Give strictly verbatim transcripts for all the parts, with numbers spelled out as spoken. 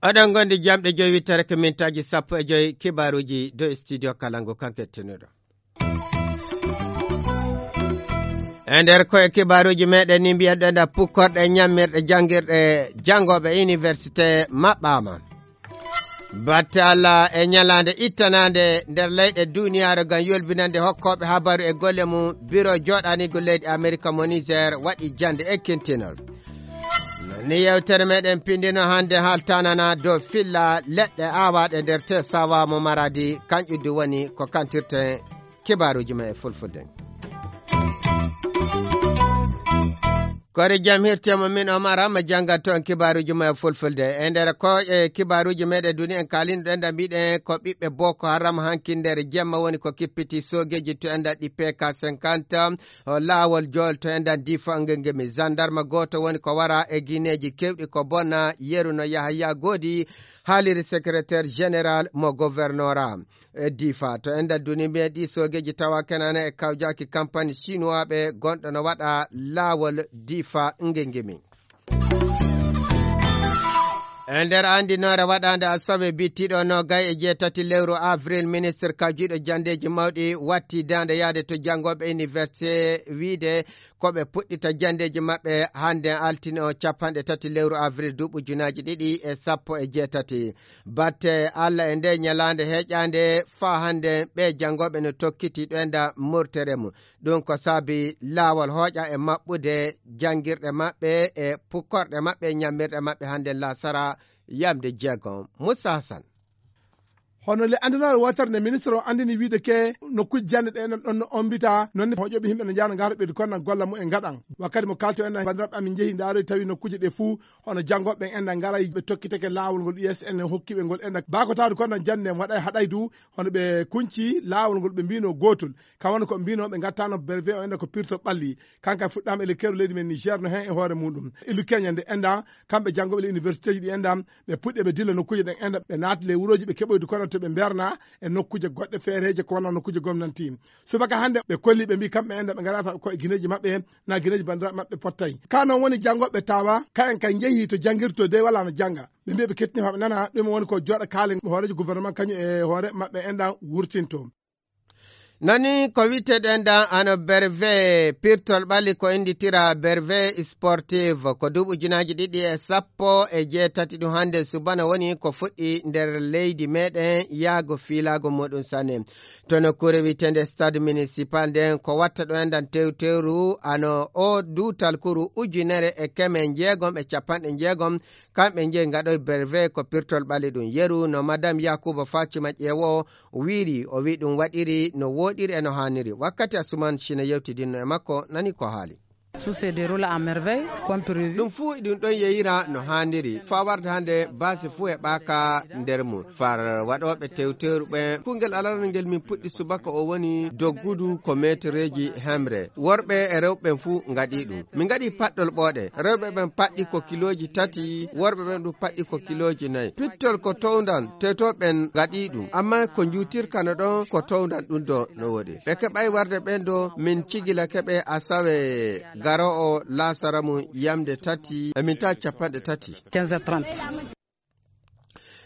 Oɗon ngondi jamɗe joyi wittere ko mintaaji sappo e joyi kibaaruuji dow studio Kalangu kan kettinuɗo. E nder koye kibaaruuji meɗen ni mbiyen ɗen da pukkorɗe ñammirɗe janngirɗe janngooɓe université maɓɓaama. Batte Allah e ñalaande ittanaande nder leyɗe duniyaaru ngam yolbinande hokkooɓe habaru e golle mum, biro jooɗaniigu leydi Amerika mo Niger waɗi jannde ekkintinol. Ni yewtere meɗen pindino hannde haaltanana dow filla leɗɗe aawaaɗe nder te sawa mo Maradi, kanƴuddu woni ko kantirten kibaaruuji men e fulfulde. Kori jam hirtemo min Omar Amma janngan toon kibaaruuji men e fulfulde. E nder ko e kibaaruuji meɗen duni en kaalino ɗen da mbiɗen ko ɓiɓɓe Boko Haram hanki nder jemma woni ko kippiti soogeeji to en da ɗi P K cinquante. O laawol jool to en da Difa ngengemi. Zandarma gooto woni ko wara e gineeji kewɗi ko bonna yeru no Yahaya Goodi haaliri secrétaire général mo gouvernorat e Difa. To en da duni mbiyen ɗi soogeeji tawa kenana e kawjaaki kampani sinuwaaɓe gonɗo no waɗa laawol Difa ngengemi. E nder anndinoore waɗaande asawe bittiɗo nogay e jeetati lewru avril, ministre kawjiiɗo janndeeji mawɗi watti daande yaade to janngooɓe université wiide ko ɓe puɗɗita janndeeji maɓɓe hannde altine o capanɗe tati lewru avril duuɓi junaaji ɗiɗi e sappo e jeetati. Batte Allah e nde ñalaande heeƴaande faa hannde ɓe janngooɓe no tokkiti ɗo e nda murtere mum. Ɗum ko saabi laawol hooƴa e maɓɓude janngirɗe maɓɓe e pukkorɗe maɓɓe e ñammirɗe maɓɓe hannde laasara yamde jeegom. Moussa Hassan. Hono le anndinooɓe wootere nde ministre o anndini wiide ke nokkuuji jannde ɗe enen ɗon no ombita, noon ne hoƴooɓe yimɓe no njahano ngara ɓeydu kono golla mum en ngaɗan. Wakkati mo kaalto en banndiraaɓe amin njehi ndaaroy tawi nokkuuje ɗe fuu hono janngooɓe en enda ngara ɓe tokkitake laawol ngol U S N hokki ɓe ngol enda baakotaadu kono jannde en waɗay haɗay du hono ɓe kunci laawol ngol ɓe mbino gootol. Kam woni ko mbino ɓe ngattano brevet o enda ko pirto ɓalli. Kanka fuɗɗaama e le keru leydi men Niger no heen e hoore muɗum. Ilu Kenya nde enda kamɓe janngooɓe le université ji ɗi enda ɓe puɗɗi ɓe dilla nokkuuje ɗen enda ɓe naati le wurooji ɓe keɓoydu kono to ɓe mberna e nokkuuje goɗɗe feereeje ko wona nokkuuje gomnanti. Subaka hannde ɓe kolli ɓe mbi kamɓe enda ɓe ngara fa ko e gineeji maɓɓe na gineeji banndiraaɓe maɓɓe pottay. Ka noon woni janngooɓe tawa kayen kay njehi to janngirto de wala no jannga. Ɓe mbi ɓe kettini fa ɓe nana ɗum woni ko jooɗa kaalen hooreejo gouvernement kañum e hoore maɓɓe enda wurtinto. Nani ko witeɗen dan ano berve pirtol ɓali ko inditira berve sportive ko duuɓi ujunaaji ɗiɗi e sappo e jeetati ɗum hannde subana woni ko fuɗɗi nder leydi meɗen yaago fiilaago muɗum sanne. To nokkuure witende stade municipal nden ko watta ɗo endan tewtewru ano o duutal kuru ujunere e keme njeegom e capanɗe njeegom. Kamɓe njeyi ngaɗoy berve ko pirtol ɓali ɗum yeru no madame Yakuba Fatima ƴeewo wiiri o wi ɗum waɗiri no woɗiri e no haaniri wakkati Asuman Sina yewtidinno e makko nani ko haali. Tout se déroule à merveille, comme prévu. Ɗum fuu iɗum ɗon yeyira no haaniri faa warde hannde baasi fuu e ɓaaka nder mum. Far waɗooɓe tewteeru ɓen kungel alarangel min puɗɗi subaka o woni doggudu ko meetereeji hemre. Worɓe e rewɓe ɓen fuu ngaɗi ɗum. Min ngaɗi paɗɗol ɓooɗe. Rewɓe ɓen paɗɗi ko kilooji tati, worɓe ɓen ɗum paɗɗi ko kilooji nayi. Pittol ko towndan, tewtooɓe ɓen ngaɗi ɗum. Amma ko njuutirka no ɗon ko towndan ɗum do no woɗi. Ɓe keɓay warde ɓen do min cigilake ɓe asawe garo o laasara mum yamde tati e minta capanɗe tati. Quinze heures trente.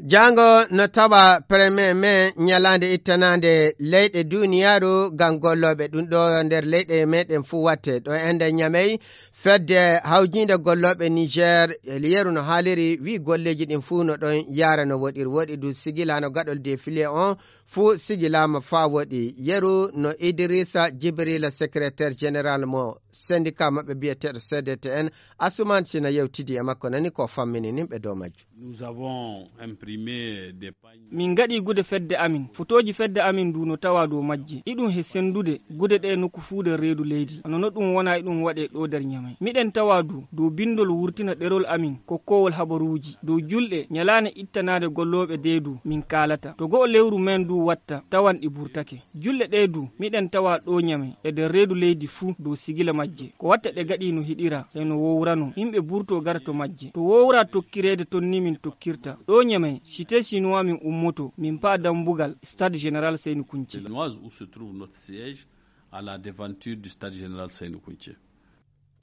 Jaango no tawa premier mai ñalaande ittanaande leyɗe duniyaaru ngam gollooɓe. Ɗum ɗo nder leyɗe meɗen fuu watte. Ɗo ende Ñamey, fedde hawjiinde gollooɓe Niger, e yeru no haaliri, wi golleeji ɗin fuu no ɗon yaara no woɗiri. Woɗi du sigila no gaɗol défilé on fuu sigilaama faa woɗi. Yeru no Idrissa Djibril, secrétaire général mo syndicat maɓɓe biyeteeɗo C D T N, Asuman Sina yewtidi e makko nani ko fammini nin ɓe dow majjum. Nous avons imprimé des pagnes. Min ngaɗi gude fedde amin. Fotooji fedde amin du no tawa dow majje. Iɗum he senndude gude ɗe nokku fuu nder reedu leydi. Hono no ɗum wona iɗum waɗe ɗo nder Ñamey. Miɗen tawa du dow binndol wurtina ɗerol amin kokkoowol habaruuji dow julɗe ñalaande ittanaade gollooɓe dee du min kaalata. To go'o lewru men du watta, tawan ɗi burtake. Julɗe ɗee du, miɗen tawa ɗoo Ñame e nder reedu leydi fuu dow sigila majje. Ko watta ɗe gaɗi no hiɗira e no wowrano, yimɓe burtoo gara to majje. To wowra tokkireede toon ni min tokkirta. Ɗoo Ñame, Cité Chinois min ummoto, min paa dambugal Stade Général Seyni Kunce. L'Énoise où se trouve notre siège à la devanture du Stade Général Seyni Kunce.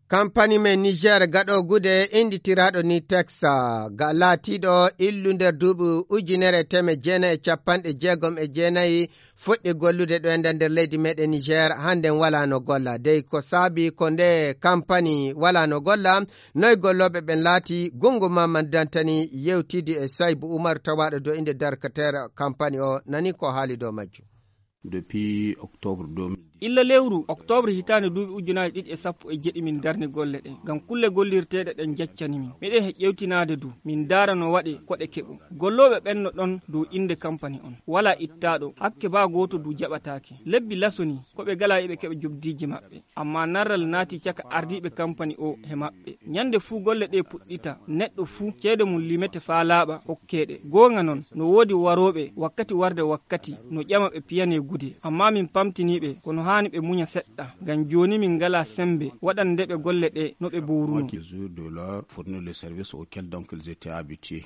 Kampani men Niger gaɗo gude innditiraaɗo ni Texa, ga laatiiɗo illu nder duuɓi ujunere e teemeɗɗe jeenayi e capanɗe jeegom e jeenayi, fuɗɗi gollude ɗo e nder, nder leydi meɗen Niger, hannden walaa no golla. Dey ko saabi ko nde kampani walaa no golla, noy gollooɓe ɓen laati? Gungu Mamman Dantani yewtidi e Saybu Umar tawaaɗo dow innde darkateer kampani o, nani ko haali dow majjum. Depuis octobre deux mille dix. Illa lewru octobre hitaande duuɓi ujunaaji ɗiɗi e sappo e jeɗi min darni golle ɗen, ngam kulle gollirteeɗe ɗen jaccani min. Miɗen he ƴewtinaade du, min ndaara no waɗe ko ɗe keɓo. Gollooɓe ɓen no ɗon dow innde kampani on. Walaa ittaaɗo, hakke baa gooto du jaɓataake. Lebbi lasonii, ko ɓe galaa eɓe keɓa jobdiiji maɓɓe. Ammaa narral naati caka ardiiɓe kampani o he maɓɓe. Ñande fuu golle ɗe puɗɗita, neɗɗo fuu ceede mum limete faa laaɓa, hokkee ɗe. Goonga non, no woodi warooɓe wakkati warde wakkati, no ƴama ɓe piyanee gude. Ammaa min pamtinii ɓe, kono haani ɓe muña seɗɗa. Ngam jooni min ngalaa semmbe waɗande ɓe golle ɗe no ɓe bowrunoo. Moitié jour de leur fournir le service auquel donc ils étaient habitués.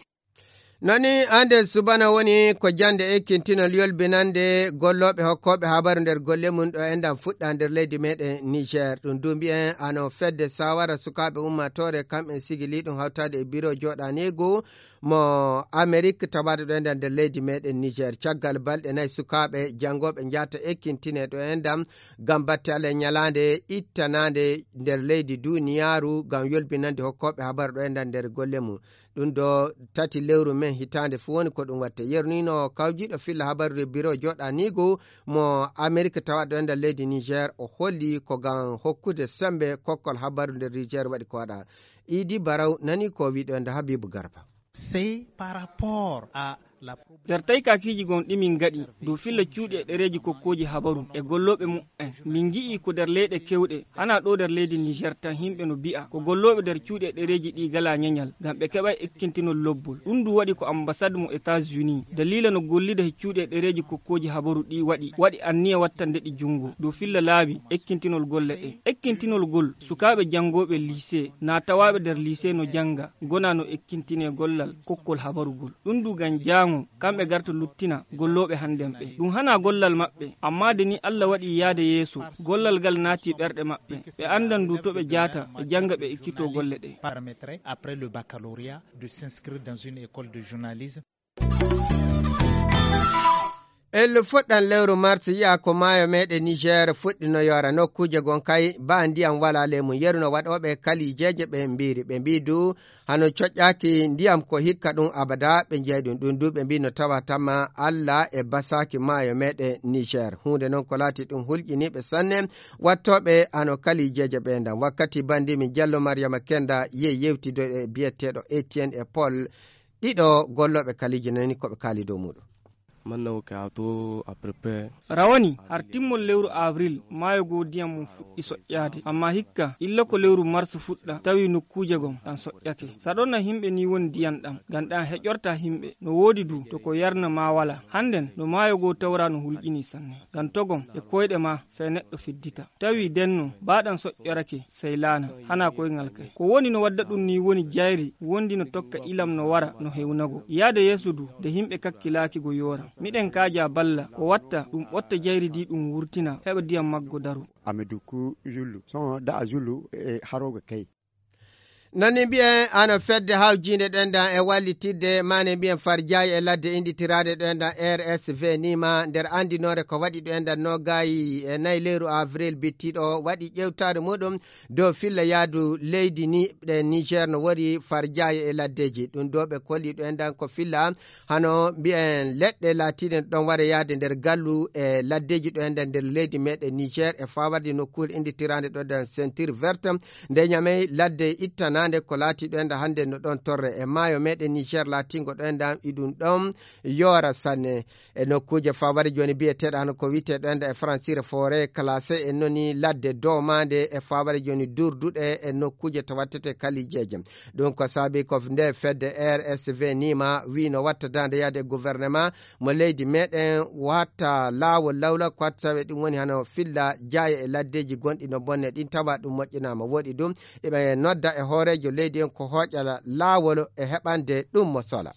Nani, hannde subana woni ko jannde ekkintinol yolbinande gollooɓe hokkooɓe habaru nder golle mum ɗo enɗam fuɗɗa nder leydi meɗen Niger. Ɗum du mbiyen ano fedde sawara sukaaɓe ummaatoore, kamɓen sigili ɗum hawtaade e biro jooɗaniigu mo Amerik tawaade ɗo enɗam nder leydi meɗen Niger. Caggal balɗe nayi sukaaɓe janngooɓe njahata ekkintinee ɗo enɗam ngam batte Allah e ñalaande ittanaande nder leydi duniyaaru ngam yolbinande hokkooɓe habaru ɗo enɗam nder golle mum. Ɗum ɗo tati lewru men hitaande fuu woni ko ɗum watte. Yeru ni no kawjiiɗo filla habarude biro jooɗaniigu mo Amerik tawaɗo e nder leydi Niger, o holli ko ngam hokkude semmbe kokkol habaru nder Niger waɗi ko waɗa. Idi Baraw nani ko wiɗo e nder Habibu Garba. C'est par rapport à la Nder taykaakiiji gon ɗi min ngaɗi dow filla cuuɗi e ɗereeji kokkooji habaru e gollooɓe muɓɓen, min ngi'i ko nder leyɗe kewɗe, hanaa ɗoo nder leydi Niger tan, yimɓe no mbi'a ko gollooɓe nder cuuɗi e ɗereeji ɗi ngalaa ñañal, ngam ɓe keɓay ekkintinol lobbol. Ɗum du waɗi ko ambassade mo États-Unis, daliila no gollida he cuuɗi e ɗereeji kokkooji habaru ɗi waɗi, waɗi anniya wattande ɗi junngo dow filla laabi ekkintinol golle ɗe. Ekkintinol gol sukaaɓe janngooɓe lycée, naa tawaaɓe nder lycée no jannga, ngona no ekkintinee gollal kokkol habaru gol. Ɗum du ngam jaango, kamɓe garta luttina gollooɓe hannden ɓe. Ɗum hanaa gollal maɓɓe, ammaa de ni Allah waɗi yaade yeeso, gollal ngal naati ɓerɗe maɓɓe. Ɓe anndan du to ɓe jaata, ɓe jannga, ɓe ekkitoo golle ɗe. Permettrait, après le baccalauréat, de s'inscrire dans une école de journalisme. Ellu fuɗɗan lewru mars yi'a ko maayo meɗen Niger fuɗɗi no yoora nokkuuje gon kay, ba ndiyam walaa ley mum. Yeru no waɗooɓe kalijeeje ɓe mbiiri. Ɓe mbii du hano coƴƴaaki ndiyam ko hikka ɗum abada ɓe njeyi ɗum. Ɗum du ɓe mbii no tawa tamma Allah e basaaki maayo meɗen Niger. Huunde non ko laati ɗum hulƴiniiɓe sanne wattooɓe hano kalijeeje ɓe ndam. Wakkati bandi min Jallo Mariama Kenda ye yewtido e biyeteeɗo Etienne e Paul, ɗiɗo gollooɓe kaliji nani ko ɓe kaali dow muɗum. Mannawo ka to à peu près. Rawani har timmol lewru avril, maayo goo ndiyam mum fuɗɗi soƴƴaade. Ammaa hikka, illa ko lewru mars fuɗɗa, tawi nokkuuje gom ɗam soƴƴake. Saɗonna himɓe ni woni ndiyam ɗam, ngam ɗam heƴorta himɓe. No woodi du, to ko yarna ma wala. Hannden, no maayo goo tawra no hulƴini sanne. Ngam togom e koyɗe ma, sey neɗɗo fiddita. Tawi denno, ba ɗam soƴƴorake, sey laana, hana koyngal kay. Ko woni no wadda ɗum ni woni jayri wondi no tokka ilam no wara no hewnago. Yaade yeeso du, nde himɓe kakkilaaki go yoora. Miɗen kaaja balla, ko watta ɗum ɓotta jayri di ɗum wurtina, heɓa ndiyam maggo daro. Ameduku Zulu, son da Zulu e haroga kay. Nani mbiyen ano fedde hawjiinde ɗendan e wallitidde mane mbiyen farjaayi e ladde inɗitiraade ɗendan R S V nima nder anndinoore ko waɗi ɗendan nogayi e nayi lewru avril bittiɗo waɗi ƴewtaare muɗum dow filla yaadu leydi ni ɗe Niger no wori farjaayi e laddeji. Ɗum do ɓe kolli ɗendan ko filla hano mbiyen leɗɗe laatiiɗe ɗon wara yaade nder gallu e laddeji ɗo e nder, nder leydi meɗen Niger e fawarde nokkuure innditiraande ɗo nder ceinture verte nde Ñamey ladde ittana Hannde ko laati ɗo enda hannde no ɗon torre e maayo meɗen Niger laatingo ɗo enda iɗum ɗon yoora sanne. E nokkuuje faware jooni biyeteeɗo hano ko wiyeteeɗo enda e francire forêt classé e noni ladde doomande e faware jooni durduɗe e nokkuuje to wattete kalijeeje. Ɗum ko saabi ko nde fedde R S V nima wi no watta dande yaade e gouvernement mo leydi meɗen watta laawol lawla ko watta tawe ɗum woni hano filla jaaya e laddeji gonɗi no bonne ɗin tawa ɗum moƴƴinama. Woɗi ɗum eɓe nodda e hoorejo leydi en ko hooƴa laawol e heɓande ɗum mo sola.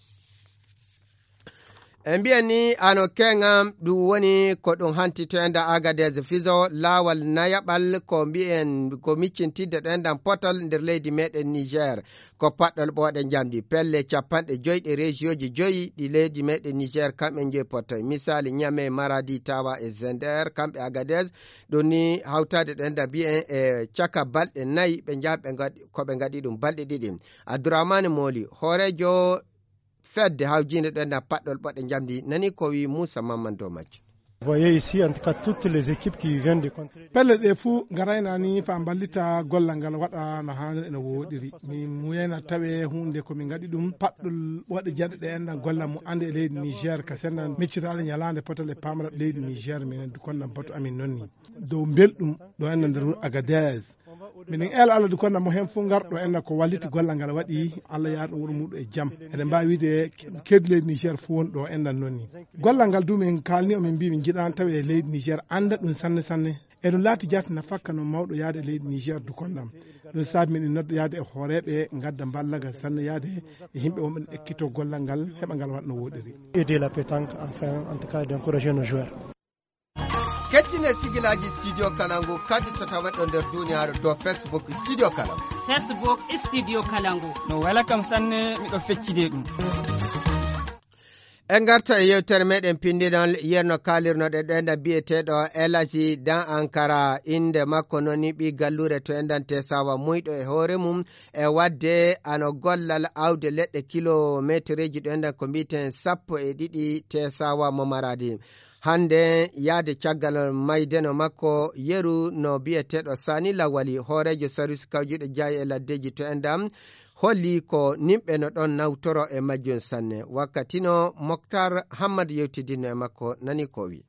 E mbiyan ni ano keŋam ɗum woni ko ɗum hanti to enda Agadez Fiso laawol nayaɓal ko mbiyen ko miccintidde ɗo endan potal nder leydi meɗen Niger. Ko paɗɗol ɓooɗe njamdi pelle capanɗe joyi ɗe rejiyooji joyi ɗi leydi meɗen Niger kamɓe joyi pottoy. Misali Niamey, Maradi, Tawa e Zender kamɓe Agadez. Ɗum ni hawtaade ɗo enda mbiyen e caka balɗe nayi ɓe njaha ɓe ngaɗi ko ɓe ngaɗi ɗum balɗe ɗiɗi. Abdourahmane Moli hoorejo fedde hawjiinde ɗo endan paɗɗol ɓooɗe njamdi nani ko wi Moussa Mamman dow majje. Vous voyez ici, en tout cas, toutes les équipes qui viennent de contrer. Pelle ɗe fuu ngarayna ni fa mballita gollal ngal waɗa no haaniri e no wooɗiri. Mi muyayna tawe huunde ko min ngaɗi ɗum paɗɗol waɗi janɗe ɗe enɗan gollal mu annde e leydi Niger ka sendan miccitaale ñalaande potal e paamara leydi Niger minen du konnan batu amin noon ni. Dow mbelɗum ɗo enɗan nder wuro Agadez. Minen eela Allah du konnan mo heen fuu ngarɗo enɗan ko walliti gollal ngal waɗi Allah yaar ɗum wuro muɗum e jam. Eɗen mbaawi wiide keddi leydi Niger fuu won ɗo enɗan noon ni. Gollal ngal du min kaalni o min mbii min njiɗaani tawi e leydi Niger annda ɗum sanne sanne. Eɗum laati jaati nafakka no mawɗo yaade e leydi Niger du konnan. Ɗum saabi miɗen nodda yaade e hooreeɓe ngadda mballagal sanne yaade e yimɓe wonɓe no ekkito gollal ngal heɓa ngal waɗa no wooɗiri. Aider la pétanque afin en tout cas d'encourager nos joueurs. Kettine sigilaaji Studio Kalangu kadi to taweɗo nder duniyaaru to Facebook Studio Kalangu. Facebook Studio Kalangu. No wela kam sanne miɗo feccide ɗum. En ngarta e yewtere meɗen pinndinol yerno kaalirnoɗe ɗo enɗan biyeteeɗo Elaji Dan Ankara innde makko noon ni ɓii galluure to enɗan Tesawa muyɗo e hoore mum e waɗde ano gollal awde leɗɗe kilometereeji ɗo enɗan ko mbiyeten sappo e ɗiɗi Tesawa mo Maradi. Hannde yahde caggal maydeno makko yeru no biyeteeɗo Sani Lawali hooreejo sarwis kawjuɗo jaayi e laddeji to enɗan holli ko nimɓe no ɗon nawtoro e majjum sanne. Wakkati no Moktar Hammad yewtidinno e makko nani ko o wi.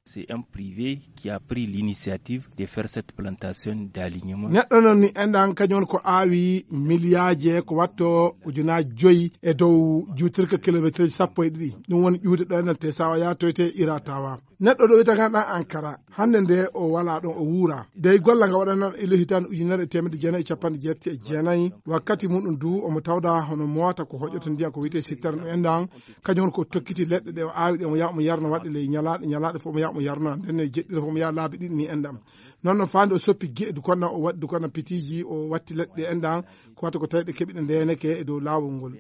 C'est un privé qui a pris l'initiative de faire cette plantation d'alignement. Neɗɗo noon ni enɗan kañum ko aawi miliyaaje ko watto ujunaaji joyi e dow juutirka kilometre sappo e ɗiɗi. Ɗum woni ƴuwde ɗo enɗan te sawa yatoyte ira tawa. Neɗɗo ɗo wiyta kan ɗan Ankara hannde nde o wala ɗon o wuura dey golla nga waɗanan ilo hitan ujunere e temedde jeenayi e capanɗe jeetati e jeenayi. Wakkati muɗum du omo tawda hono mowata ko hoƴoto ndiya ko wiyte sittara no enɗan. Kañum woni ko tokkiti leɗɗe ɗe o aawi ɗe omo yaha omo yarna waɗde ley ñalaaɗe ñalaaɗe fof omo yaha omo yarna ndenne jeɗɗira fof omo yaha laabi ɗiɗi ni enɗan. Noon no faande o soppi geɗe du konna o waɗi du konna pitiji o watti leɗɗe enɗan ko wata ko tawi ɗe keɓi ɗe ndeneke e dow laawol ngol.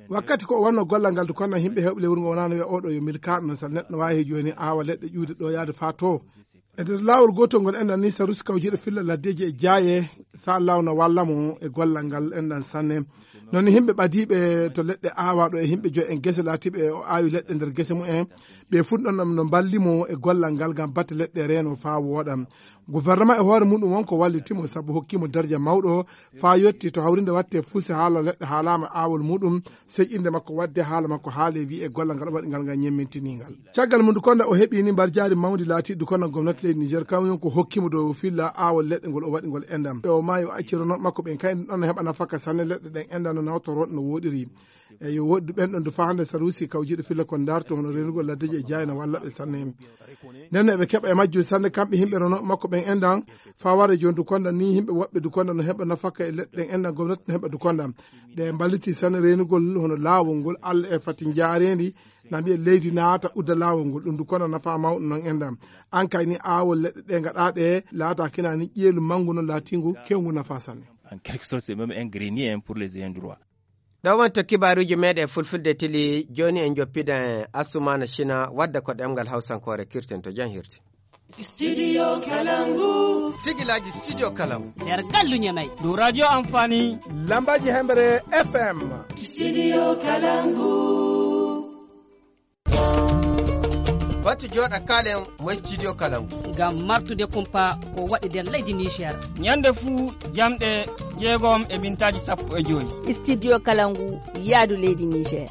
Wakkati ko o wanno gollal ngal du konna yimɓe hewɓe lewru ngo wonano wiya oɗo yo milkaɗo no sal neɗɗo no wawi he joni awa leɗɗe ƴuwde ɗo yaade fa to. E nder laawol gotol ngol enɗan ni sarusi kawjiɗo filla laddeji e jaaye sa lawna walla mo e gollal ngal enɗan sanne. Noon yimɓe ɓadiiɓe to leɗɗe aawaɗo e yimɓe joyi en gese laatiiɓe o aawi leɗɗe nder gese mumen ɓe fuu ɗon no mballimo e gollal ngal ngam batte leɗɗe reeno faa wooɗa. Gouvernement e hoore muɗum won ko wallitimo sabu hokkimo darja mawɗo faa yotti to hawrinde watte fuuse haala leɗɗe haalama aawol muɗum sey innde makko wadde haala makko haale wiye gollal ngal o waɗi ngal ngam ñemmintinii ngal. Caggal mum Dukonda o heɓi ni mbarjaari mawndi laatiiɗo Dukonda gomnati leydi Niger kañum ko hokkimo dow filla aawol leɗɗe ngol o waɗi ngol enɗam. O maayi o acci renooɓe makko ɓen kay ɗon no heɓa nafaka sanne leɗɗe ɗen enɗam no nawtoroo no wooɗiri. E yo woɗɗu ɓen ɗon du faa hannde saruusi kawjiiɗo filla kon daarto hono reenugol laddeji e jaayna walla ɓe sanne. Nden no eɓe keɓa e majjum sanne kamɓe yimɓe renooɓe makko ɓen enɗam faa wara jooni Dukonda ni yimɓe woɓɓe Dukonda no heɓa nafaka e leɗɗe ɗen enɗam gomnati no heɓa Dukonda. Ɗe mballiti sanne reenugol hono laawol ngol Alla e fati njaareendi na mbiya leydi naata udda laawol ngol ɗum du kono nafa mawɗo noon enɗam. An kay ni aawol leɗɗe ɗe ngaɗa ɗe laata kina ni ƴeelu manngu noon laatingu kewngu nafa sanne. En quelque sorte c'est même un grenier hein, pour les ayants droit. Ɗo wonto kibaaruuji meɗen fulfulde tili jooni en joppida en Assumaana Shina wadda ko ɗemngal hawsankoore kirten to jam hirti. Studio Kalangu. Sigilaaji Studio Kalangu. Nder gallu Ñamay. Dow radio Amfani. Lambaaji Hemre F M. Studio Kalangu. Wattu jooɗa kaalen mo studio Kalangu. Ngam martude kumpa ko waɗi nder leydi Niger. Ñande fuu jamɗe jeegom e mintaaji sappo e joy. Studio Kalangu yaadu leydi Niger.